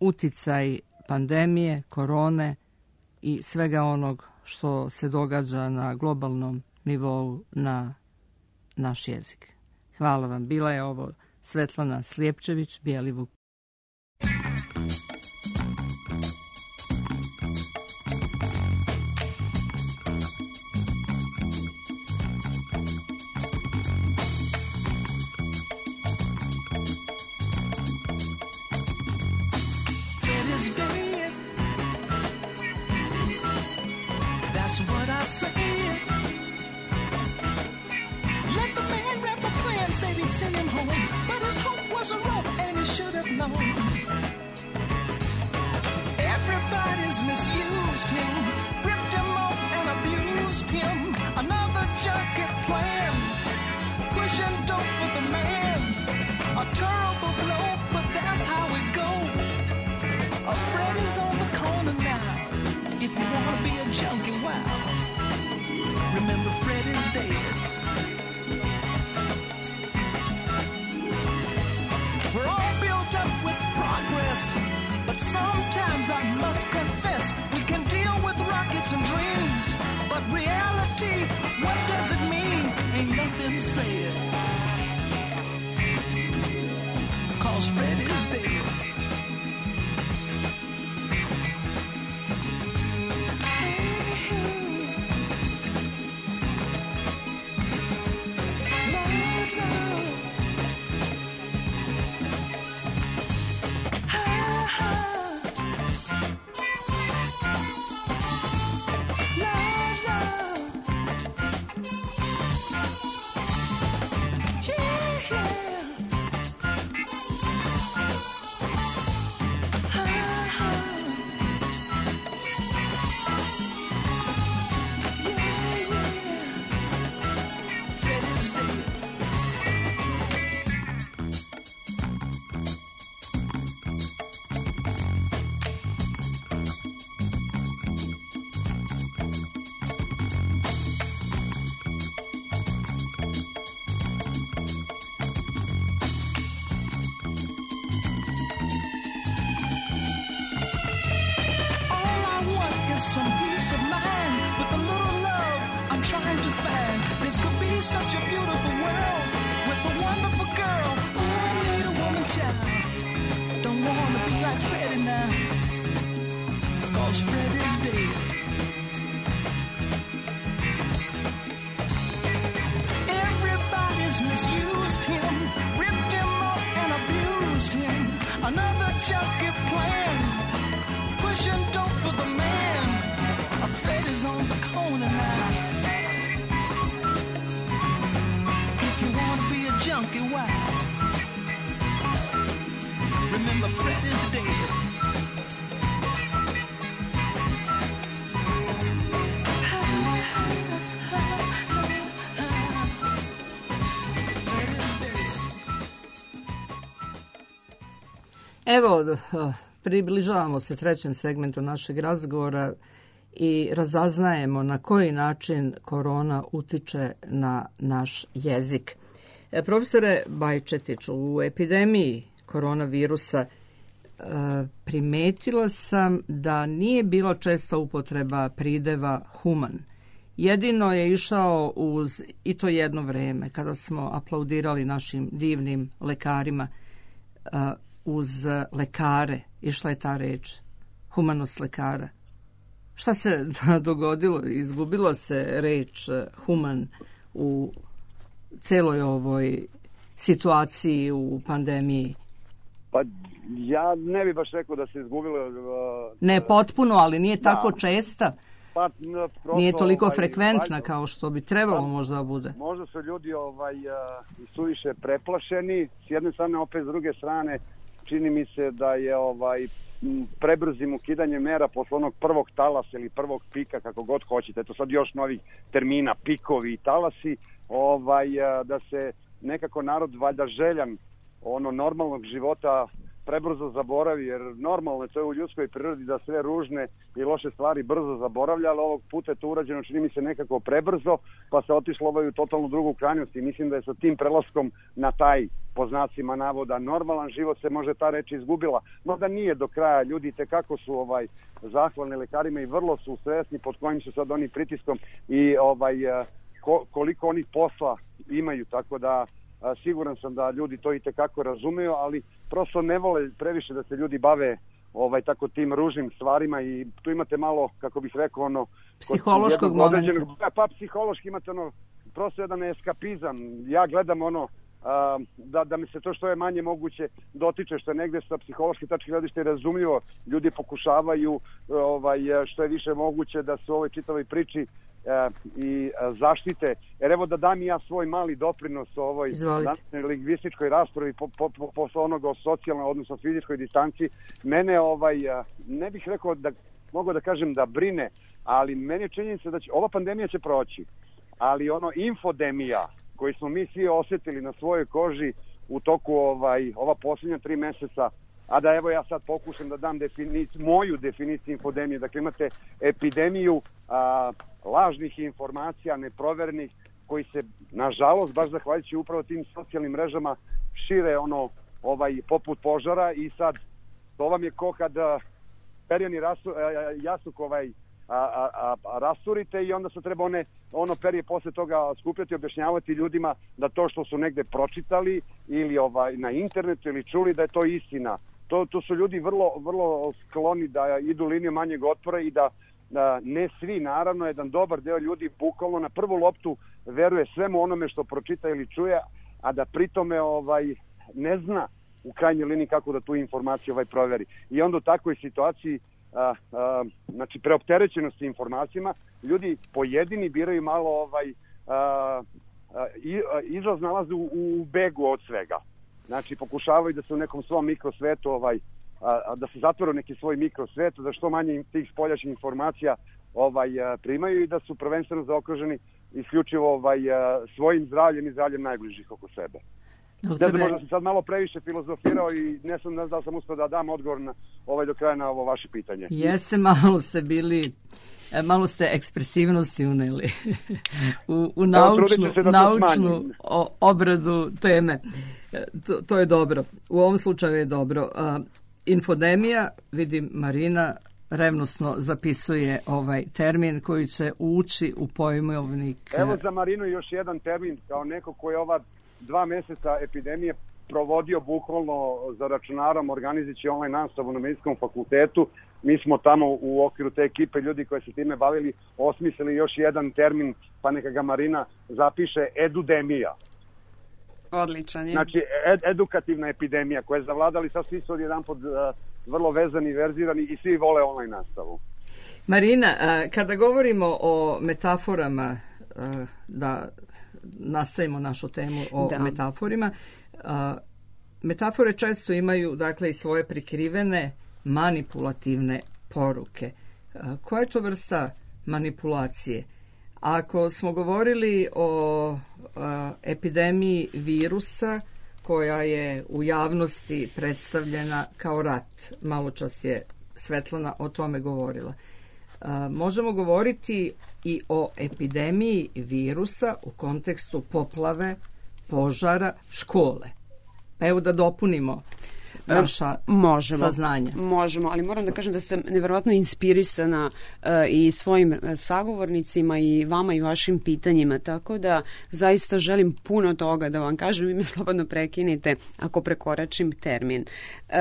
uticaj pandemije, korone i svega onog što se događa na globalnom nivou na naš jezik. Hvala vam. Bila je ovo Svetlana Slijepčević, Bijeli Vuk. Send him home, but his hope was a rope and he should have known. Everybody's misused him, ripped him off and abused him. Another junkie plan, pushing dope for the man. A terrible blow, but that's how it goes. A Freddy's on the corner now. If you wanna be a junkie, wow. Remember Freddy's dead. We're all built up with progress, but sometimes I must confess we can deal with rockets and dreams, but reality, what does it mean? Ain't nothing said, 'cause Freddy's dead. Such a beautiful world with a wonderful girl. Ooh, I need a woman child. Don't wanna be like Freddy now, 'cause Freddy's dead. Everybody's misused him, ripped him off and abused him. Another junkie plan, pushing dope for the man. A Freddy's on the corner now. Junkie, wow. Remember Freddy's dead. Evo, približavamo se trećem segmentu našeg razgovora i razaznajemo na koji način korona utiče na naš jezik. Profesore Bajčetiću, u epidemiji koronavirusa primetila sam da nije bilo česta upotreba prideva human. Jedino je išao uz, i to jedno vreme, kada smo aplaudirali našim divnim lekarima, uz lekare, išla je ta reč, humanost lekara. Šta se dogodilo? Izgubilo se reč human u celoj ovoj situaciji u pandemiji? Pa ja ne bih baš rekao da se izgubilo. Uh, ne potpuno, ali nije tako da. česta. Pa, prosto, nije toliko ovaj, frekventna valjda, kao što bi trebalo pa, možda da bude. Možda su ljudi ovaj, suviše preplašeni, s jedne strane, opet s druge strane, čini mi se da je ovaj prebrzim ukidanjem mera posle onog prvog talasa ili prvog pika, kako god hoćete, eto sad još novih termina, pikovi i talasi, ovaj, da se nekako narod valjda željan ono normalnog života prebrzo zaboravi, jer normalno je to u ljudskoj prirodi da sve ružne i loše stvari brzo zaboravlja, ali ovog puta je to urađeno, čini mi se, nekako prebrzo, pa se otišlo ovaj u totalnu drugu krajnost i mislim da je sa tim prelaskom na taj, po znacima navoda, normalan život se može ta reč izgubila. No da nije do kraja, ljudi tekako su ovaj zahvalni lekarima i vrlo su svesni pod kojim su sad oni pritiskom i ovaj ko, koliko oni posla imaju, tako da a, siguran sam da ljudi to i tekako razumeju, ali prosto ne vole previše da se ljudi bave ovaj tako tim ružnim stvarima i tu imate malo, kako bih rekao, ono psihološkog momenta. Pa psihološki imate ono prosto jedan eskapizam. Ja gledam ono a, da, da mi se to što je manje moguće dotiče, što je negde sa psihološke tačke gledišta i razumljivo. Ljudi pokušavaju ovaj, što je više moguće da se u ovoj čitavoj priči E, i e, zaštite. Jer evo da dam i ja svoj mali doprinos ovoj lingvističkoj raspravi po, po, po, posle onoga o socijalnoj, odnosno fizičkoj distanci. Mene ovaj, ne bih rekao da mogu da kažem da brine, ali meni je činjenica da će, ova pandemija će proći, ali ono infodemija koju smo mi svi osjetili na svojoj koži u toku ovaj, ova posljednja tri meseca, a da evo ja sad pokušam da dam definiciju, moju definiciju infodemije. Dakle, imate epidemiju a, lažnih informacija, neproverenih, koji se, nažalost, baš zahvaljujući upravo tim socijalnim mrežama, šire ono, ovaj, poput požara i sad, to vam je ko kad perjani rasu, jasuk ovaj, a, a, a, rasurite i onda se treba one, ono perje posle toga skupljati i objašnjavati ljudima da to što su negde pročitali ili ovaj, na internetu ili čuli da je to istina. To, to su ljudi vrlo, vrlo skloni da idu linijom manjeg otpora i da, da ne svi, naravno, jedan dobar deo ljudi bukvalno na prvu loptu veruje svemu onome što pročita ili čuje, a da pritome ovaj, ne zna u krajnjoj liniji kako da tu informaciju ovaj proveri. I onda u takvoj situaciji a, a, znači preopterećenosti informacijama, ljudi pojedini biraju malo ovaj a, a, izlaz nalaze u, u begu od svega. Znači pokušavaju da se u nekom svom mikrosvetu ovaj a, a, da se zatvore u neki svoj mikrosvet, da što manje tih spoljašnjih informacija ovaj a, primaju i da su prvenstveno zaokruženi isključivo ovaj a, svojim zdravljem i zdravljem najbližih oko sebe. Da, možda sam sad malo previše filozofirao i ne znam, ne znam da sam uspio da dam odgovor na ovaj do kraja na ovo vaše pitanje. Jeste, malo ste bili, malo ste ekspresivnosti uneli u, u naučnu, da naučnu o, obradu teme. To, to je dobro. U ovom slučaju je dobro. Uh, infodemija, vidim Marina revnosno zapisuje ovaj termin koji će ući u pojmovnik. Evo za Marinu još jedan termin kao neko koji je ova dva meseca epidemije provodio bukvalno za računarom organizujući online nastavu na medicinskom fakultetu. Mi smo tamo u okviru te ekipe ljudi koji se time bavili osmislili još jedan termin, pa neka ga Marina zapiše, edudemija. Odličan je. Znači ed, edukativna epidemija koja je zavladali, sad svi su odjedan pod uh, vrlo vezani, verzirani i svi vole online nastavu. Marina, uh, kada govorimo o metaforama, uh, da nastavimo našu temu o da. metaforima. A, metafore često imaju dakle i svoje prikrivene manipulativne poruke. A, koja je to vrsta manipulacije? Ako smo govorili o a, epidemiji virusa koja je u javnosti predstavljena kao rat, malo čas je Svetlana o tome govorila. A, možemo govoriti i o epidemiji virusa u kontekstu poplave, požara, škole. Pa evo da dopunimo naša možemo, saznanja. Možemo, ali moram da kažem da sam nevjerovatno inspirisana uh, i svojim sagovornicima i vama i vašim pitanjima, tako da zaista želim puno toga da vam kažem, vi me slobodno prekinite ako prekoračim termin. Uh,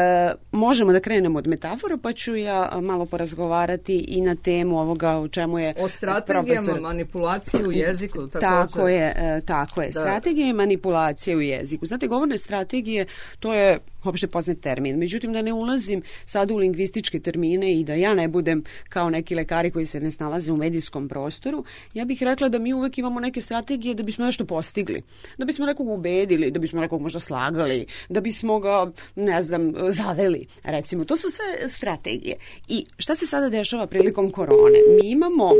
možemo da krenemo od metafora, pa ću ja malo porazgovarati i na temu ovoga o čemu je o strategijama profesor... manipulacije u jeziku. Također. Tako je, uh, tako je. Da. Strategije i manipulacije u jeziku. Znate, govorne strategije, to je opšte poznat termin. Međutim, da ne ulazim sad u lingvističke termine i da ja ne budem kao neki lekari koji se ne snalaze u medijskom prostoru, ja bih rekla da mi uvek imamo neke strategije da bismo nešto postigli, da bismo nekog ubedili, da bismo nekog možda slagali, da bismo ga, ne znam, zaveli, recimo. To su sve strategije. I šta se sada dešava prilikom korone? Mi imamo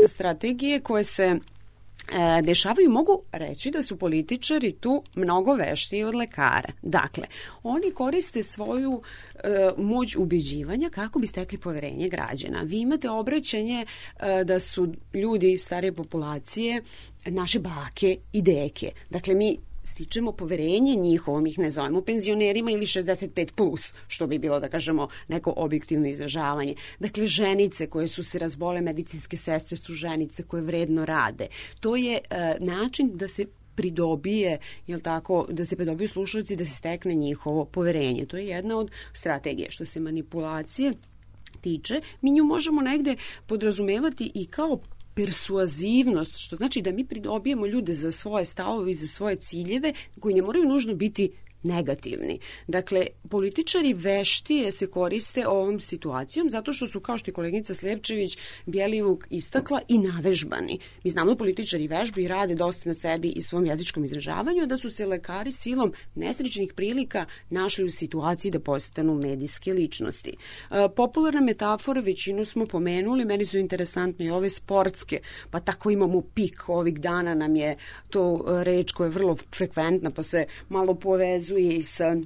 strategije koje se E, dešavaju, mogu reći da su političari tu mnogo veštiji od lekara. Dakle, oni koriste svoju e, moć ubeđivanja kako bi stekli poverenje građana. Vi imate obraćanje e, da su ljudi starije populacije naše bake i deke. Dakle, mi stičemo poverenje njihovo, mi ih ne zovemo penzionerima ili šezdeset pet plus, što bi bilo, da kažemo, neko objektivno izražavanje. Dakle, ženice koje su se razbole, medicinske sestre su ženice koje vredno rade. To je e, način da se pridobije, jel tako, da se pridobiju slušalci, da se stekne njihovo poverenje. To je jedna od strategije. Što se manipulacije tiče, mi nju možemo negde podrazumevati i kao persuazivnost, što znači da mi pridobijemo ljude za svoje stavove i za svoje ciljeve koji ne moraju nužno biti negativni. Dakle, političari veštije se koriste ovom situacijom zato što su, kao što je koleginica Sljepčević Bjelivuk istakla, i navežbani. Mi znamo da političari vežbu i rade dosta na sebi i svom jezičkom izražavanju, da su se lekari silom nesrećnih prilika našli u situaciji da postanu medijske ličnosti. E, popularne metafore, većinu smo pomenuli, meni su interesantne i ove sportske, pa tako imamo pik, ovih dana nam je to reč koja je vrlo frekventna, pa se malo povezuje i sa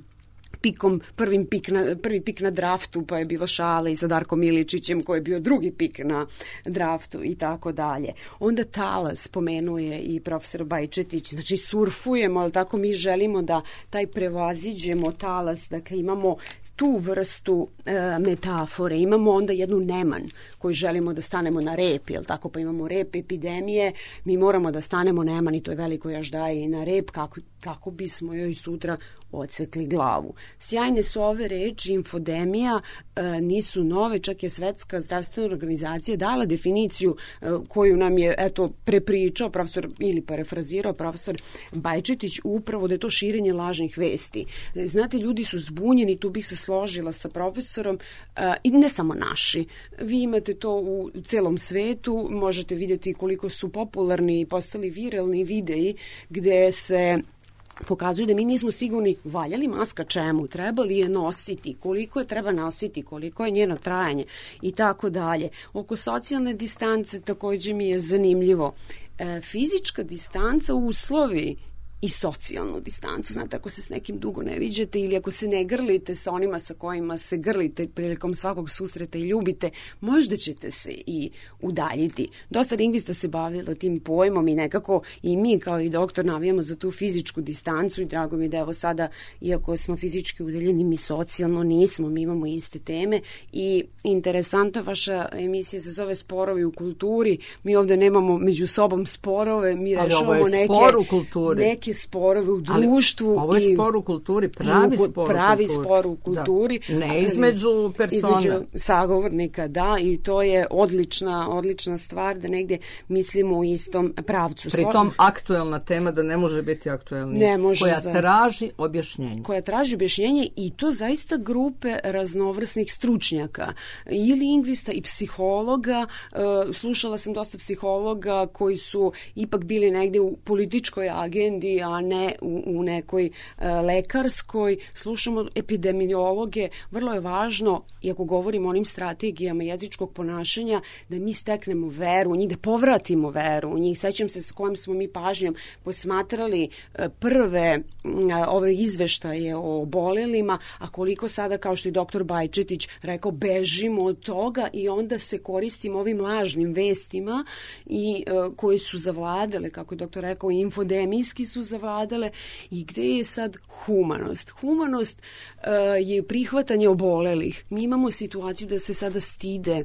pikom, prvim pik na, prvi pik na draftu, pa je bilo šale i sa Darkom Miličićem koji je bio drugi pik na draftu i tako dalje. Onda talas, spomenuje i profesor Bajčetić, znači surfujemo, ali tako mi želimo da taj prevaziđemo talas, dakle imamo tu vrstu e, metafore. Imamo onda jednu neman koju želimo da stanemo na rep, jel tako, pa imamo rep epidemije, mi moramo da stanemo neman i to je veliko jaždaje i na rep kako, kako bismo joj sutra odsekli glavu. Sjajne su ove reči, infodemija, e, nisu nove, čak je Svetska zdravstvena organizacija dala definiciju e, koju nam je eto prepričao profesor ili parafrazirao profesor Bajčetić, upravo da je to širenje lažnih vesti. Znate, ljudi su zbunjeni, tu bih se složila sa profesorom, e, i ne samo naši. Vi imate to u celom svetu, možete vidjeti koliko su popularni i postali viralni videi gde se pokazuju da mi nismo sigurni valja li maska čemu, treba li je nositi, koliko je treba nositi, koliko je njeno trajanje i tako dalje. Oko socijalne distance također mi je zanimljivo. E, fizička distanca uslovi i socijalnu distancu. Znate, ako se s nekim dugo ne viđete ili ako se ne grlite sa onima sa kojima se grlite prilikom svakog susreta i ljubite, možda ćete se i udaljiti. Dosta lingvista se bavilo tim pojmom i nekako i mi kao i doktor navijamo za tu fizičku distancu i drago mi je da evo sada, iako smo fizički udaljeni, mi socijalno nismo, mi imamo iste teme i interesantno, vaša emisija se zove Sporovi u kulturi, mi ovdje nemamo među sobom sporove, mi rešavamo neke, neke sporove u društvu. Ali ovo je spor u kulturi, pravi spor pravi u kulturi. Spor u kulturi. Da. Ne između persona. Između sagovornika, da, i to je odlična, odlična stvar da negdje mislimo u istom pravcu. Pri tom aktuelna tema da ne može biti aktuelnija. Ne može, koja zaista traži objašnjenje. Koja traži objašnjenje i to zaista grupe raznovrsnih stručnjaka. I lingvista i psihologa. Slušala sam dosta psihologa koji su ipak bili negdje u političkoj agendi, a ne u, u nekoj e, lekarskoj. Slušamo epidemiologe. Vrlo je važno, iako govorimo o onim strategijama jezičkog ponašanja, da mi steknemo veru u njih, da povratimo veru u njih. Sećam se s kojom smo mi pažnjom posmatrali e, prve m, ove izveštaje o obolelima, a koliko sada, kao što je doktor Bajčetić rekao, bežimo od toga i onda se koristimo ovim lažnim vestima i e, koji su zavladale, kako je doktor rekao, infodemijski su zavladale. I gde je sad humanost? Humanost uh, je prihvatanje obolelih. Mi imamo situaciju da se sada stide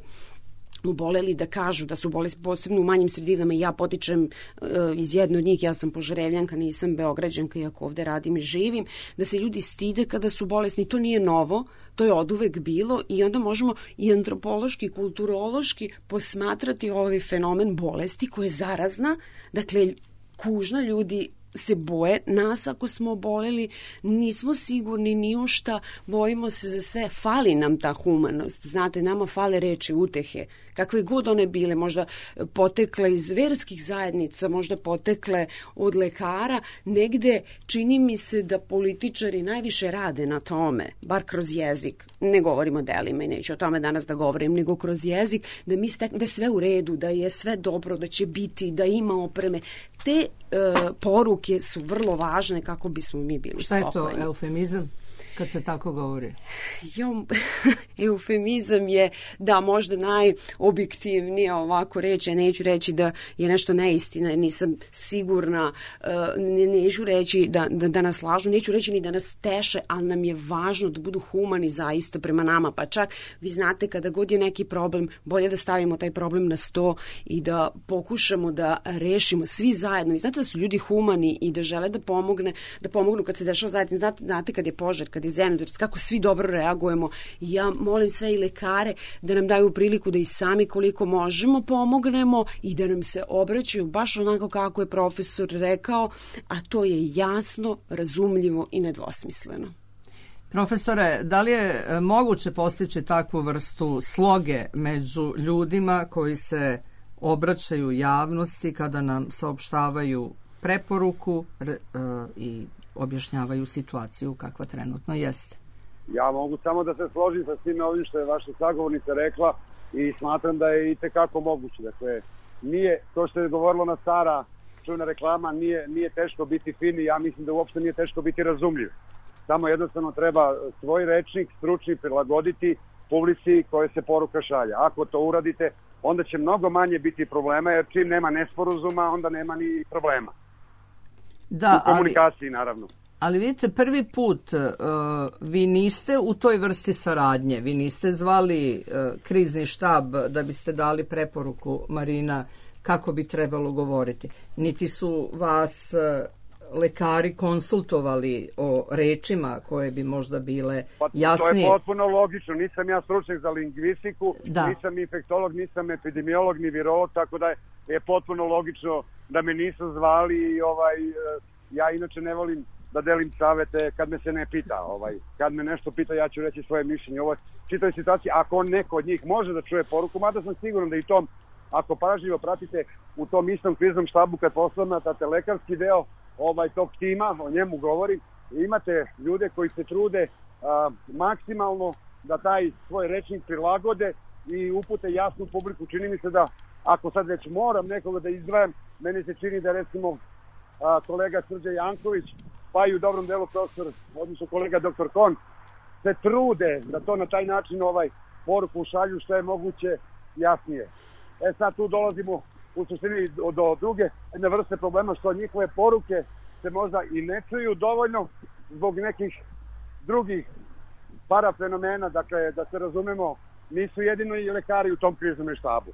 oboleli da kažu da su bolesti, posebno u manjim sredinama. Ja potičem uh, iz jedne od njih, ja sam Požarevljanka, nisam Beograđanka, iako ovde radim i živim, da se ljudi stide kada su bolesni. To nije novo, to je oduvek bilo i onda možemo i antropološki, kulturološki posmatrati ovaj fenomen bolesti koja je zarazna. Dakle, kužna, ljudi se boje nas ako smo oboleli, nismo sigurni ni u šta, bojimo se za sve, fali nam ta humanost, znate, nama fale reči utehe, kakve god one bile, možda potekle iz verskih zajednica, možda potekle od lekara, negde čini mi se da političari najviše rade na tome, bar kroz jezik, ne govorim o delima i neću o tome danas da govorim, nego kroz jezik, da mi stek, da je sve u redu, da je sve dobro, da će biti, da ima opreme. Te e, poruke su vrlo važne kako bismo mi bili spokojni. Šta je to eufemizam kad se tako govori? Jo, eufemizam je, da, možda najobjektivnije ovako reći. Neću reći da je nešto neistina, nisam sigurna, neću reći da, da, da nas lažu, neću reći ni da nas teše, ali nam je važno da budu humani zaista prema nama. Pa čak, vi znate, kada god je neki problem, bolje da stavimo taj problem na sto i da pokušamo da rešimo svi zajedno. I znate da su ljudi humani i da žele da pomogne, da pomognu kad se dešava zajedno. Znate, znate kad je požar, kad je zemljotres, kako svi dobro reagujemo. I ja molim sve i lekare da nam daju priliku da i sami koliko možemo pomognemo i da nam se obraćaju baš onako kako je profesor rekao, a to je jasno, razumljivo i nedvosmisleno. Profesore, da li je moguće postići takvu vrstu sloge među ljudima koji se obraćaju javnosti kada nam saopštavaju preporuku i objašnjavaju situaciju kakva trenutno jeste? Ja mogu samo da se složim sa svime ovim što je vaša sagovornica rekla i smatram da je i tekako moguće. Dakle, nije, to što je govorilo na stara čujna reklama, nije, nije teško biti fin i ja mislim da uopšte nije teško biti razumljiv. Samo jednostavno treba svoj rečnik stručni prilagoditi publici koje se poruka šalja. Ako to uradite, onda će mnogo manje biti problema, jer čim nema nesporazuma, onda nema ni problema. Da, u komunikaciji, ali, naravno. Ali vidite, prvi put uh, vi niste u toj vrsti saradnje, vi niste zvali uh, krizni štab da biste dali preporuku, Marina, kako bi trebalo govoriti. Niti su vas uh, lekari konsultovali o rečima koje bi možda bile pa, jasnije. To je potpuno logično. Nisam ja stručnjak za lingvistiku, da. Nisam infektolog, nisam epidemiolog ni virolog, tako da je, je potpuno logično da me nisu zvali i ovaj, ja inače ne volim da delim savete kad me se ne pita. Ovaj, kad me nešto pita, ja ću reći svoje mišljenje. Ovo čitoj situaciji, ako neko od njih može da čuje poruku, mada sam siguran da i tom, ako pažljivo pratite u tom istom kriznom štabu kad poslamate lekarski deo ovaj tog tima, o njemu govorim, imate ljude koji se trude a, maksimalno da taj svoj rečnik prilagode i upute jasnu publiku. Čini mi se da ako sad već moram nekoga da izdvajam, meni se čini da recimo a, kolega Srđan Janković, pa i u dobrom delu profesor, odnosno kolega doktor Kon, se trude da to na taj način ovaj poruku šalju što je moguće jasnije. E sad tu dolazimo u suštini do, do druge jedne vrste problema, što njihove poruke se možda i ne čuju dovoljno zbog nekih drugih parafenomena, dakle da se razumemo, nisu jedino i lekari u tom kriznom štabu.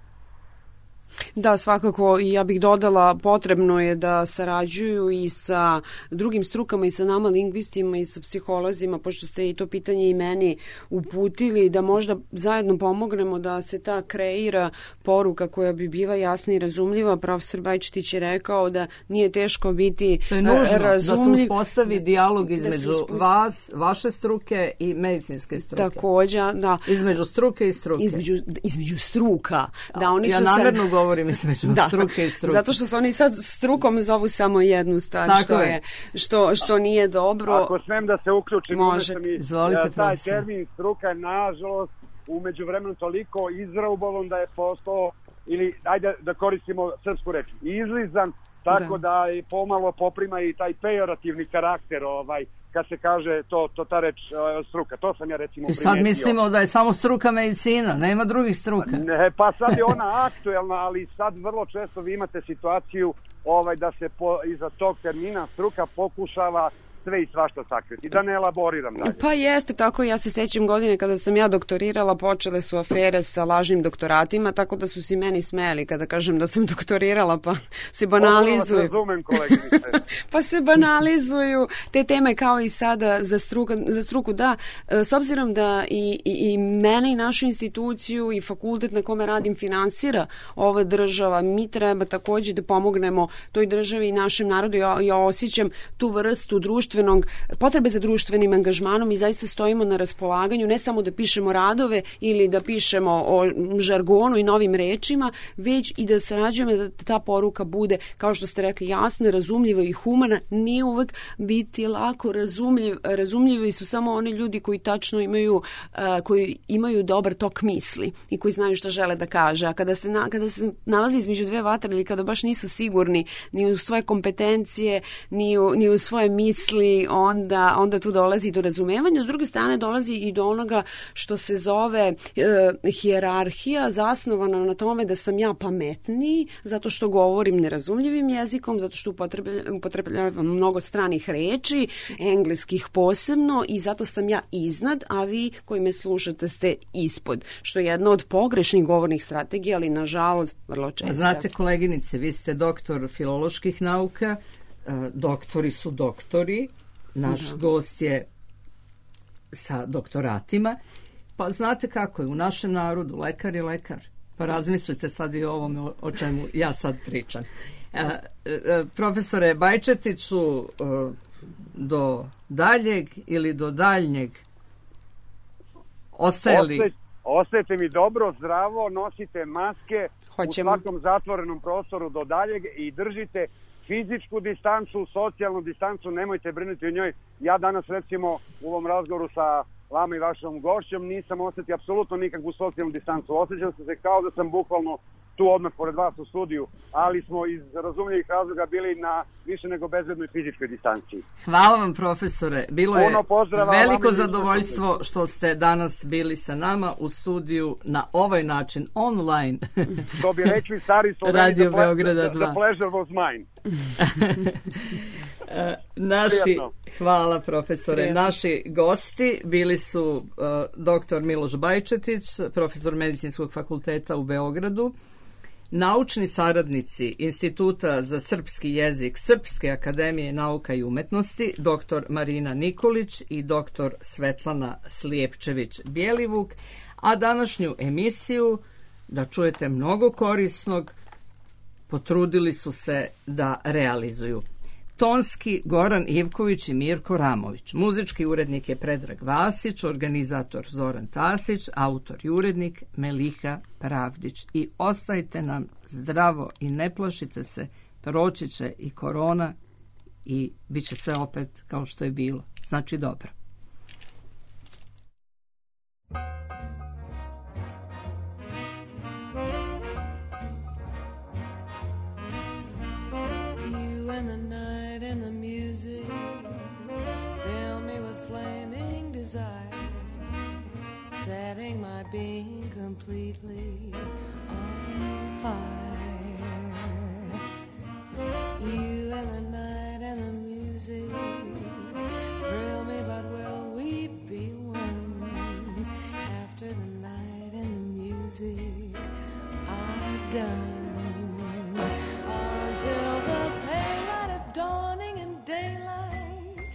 Da, svakako, i ja bih dodala, potrebno je da sarađuju i sa drugim strukama i sa nama lingvistima i sa psiholozima, pošto ste i to pitanje i meni uputili, da možda zajedno pomognemo da se ta kreira poruka koja bi bila jasna i razumljiva. Profesor Bajčetić je rekao da nije teško biti to je nužno, razumljiv. Da se uspostavi dijalog između uspostavi... vas, vaše struke i medicinske struke. Također, da. Između struke i struke. Između, između struka. Da, oni ja su namjerno sad... govorim između da, struke i struke. Zato što su oni sad strukom zovu samo jednu stvar, tako što, je. Je, što, što nije dobro. Ako smem da se uključim, može. Mi, Izvolite, ja, taj termin struka je nažalost u međuvremenu toliko izraubovan da je postao, ili ajde da koristimo srpsku reč, izlizan, tako da, da je pomalo poprima i taj pejorativni karakter, ovaj, kad se kaže to, to ta reč uh, struka. To sam ja recimo primetio. I sad mislimo da je samo struka medicina, nema drugih struka. Ne, pa sad je ona aktuelna, ali sad vrlo često vi imate situaciju ovaj, da se po, iza tog termina struka pokušava sve i svašta sakriti, da ne elaboriram dalje. Pa jeste tako, ja se sećam godine kada sam ja doktorirala, počele su afere sa lažnim doktoratima, tako da su si meni smeli kada kažem da sam doktorirala, pa se banalizuju. Razumem, koleginice. Pa se banalizuju te teme kao i sada za, struka, za struku. Da, s obzirom da i, i, i mene i našu instituciju i fakultet na kome radim finansira ova država, mi treba takođe da pomognemo toj državi i našem narodu. Ja, ja osjećam tu vrstu društvenog, potrebe za društvenim angažmanom i zaista stojimo na raspolaganju, ne samo da pišemo radove ili da pišemo o žargonu i novim rečima, već i da sarađujemo da ta poruka bude, kao što ste rekli, jasna, razumljiva i humana. Nije uvek biti lako razumljiv, razumljivi su samo oni ljudi koji tačno imaju, uh, koji imaju dobar tok misli i koji znaju šta žele da kaže. A kada se, na, kada se nalazi između dve vatre ili kada baš nisu sigurni ni u svoje kompetencije, ni u, ni u svoje misli, onda, onda tu dolazi do razumevanja. S druge strane dolazi i do onoga što se zove uh, hijerarhija, zasnovana na tome da sam ja pametniji zato što govorim nerazumljivim jezikom, zato što upotrebljavam mnogo stranih reči, engleskih posebno, i zato sam ja iznad, a vi koji me slušate ste ispod, što je jedna od pogrešnih govornih strategija, ali nažalost vrlo često. Znate, koleginice, vi ste doktor filoloških nauka, doktori su doktori, naš da. gost je sa doktoratima, pa znate kako je u našem narodu, lekar je lekar. Pa razmislite sad i o ovome o čemu ja sad pričam. E, e, profesore Bajčetiću, e, do daljeg ili do daljnjeg ostaje li... Ostaje, ostajete mi dobro, zdravo, nosite maske Hoćemo. u svakom zatvorenom prostoru do daljeg i držite fizičku distancu, socijalnu distancu, nemojte brinuti o njoj. Ja danas recimo u ovom razgovoru sa vama i vašom gošćom nisam osjetio apsolutno nikakvu socijalnu distancu. Osjećam se kao da sam bukvalno tu odmah pored vas u studiju, ali smo iz razumljivih razloga bili na više nego bezbednoj fizičkoj distanciji. Hvala vam, profesore. Bilo je veliko zadovoljstvo što ste danas bili sa nama u studiju na ovaj način, online. To bi rekli stari Sloveni, Radio Beograda dva. The pleasure was mine. Naši, hvala profesore, Prijetno. Naši gosti bili su uh, doktor Miloš Bajčetić, profesor Medicinskog fakulteta u Beogradu, naučni saradnici Instituta za srpski jezik Srpske akademije nauka i umetnosti, doktor Marina Nikolić i doktor Svetlana Slijepčević-Bjelivuk, a današnju emisiju, da čujete mnogo korisnog, potrudili su se da realizuju. Tonski Goran Ivković i Mirko Ramović. Muzički urednik je Predrag Vasić, organizator Zoran Tasić, autor i urednik Meliha Pravdić. I ostajte nam zdravo i ne plašite se, proći će i korona i bit će sve opet kao što je bilo. Znači dobro. Setting my being completely on fire. You and the night and the music thrill me, but will we be one? After the night and the music are done, until the pale light of dawning and daylight,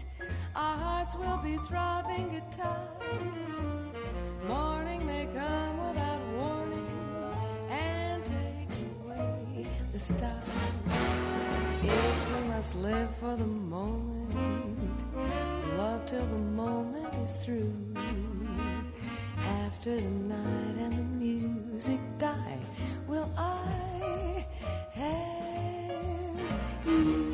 our hearts will be throbbing guitars. Morning may come without warning and take away the stars. If we must live for the moment, love till the moment is through. After the night and the music die, will I have you?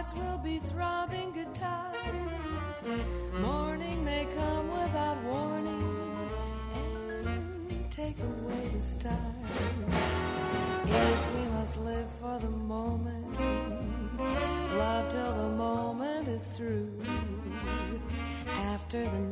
hearts will be throbbing guitars. Morning may come without warning and take away the stars. If we must live for the moment, love till the moment is through. After the